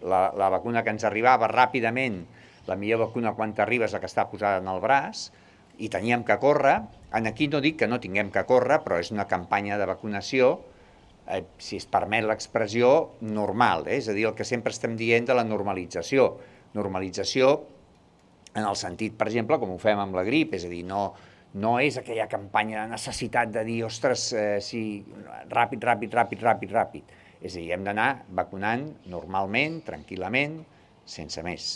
la vacuna que ens arribava ràpidament, la millor vacuna quan t'arriba és la que està posada en el braç, i teníem que córrer. Aquí no dic que no tinguem que córrer, però és una campanya de vacunació, si es permet l'expressió, normal, és a dir, el que sempre estem dient de la normalització. Normalització en el sentit, per exemple, com ho fem amb la grip, és a dir, no és aquella campanya de necessitat de dir, ostres, sí, ràpid. És a dir, hem d'anar vacunant normalment, tranquil·lament, sense més.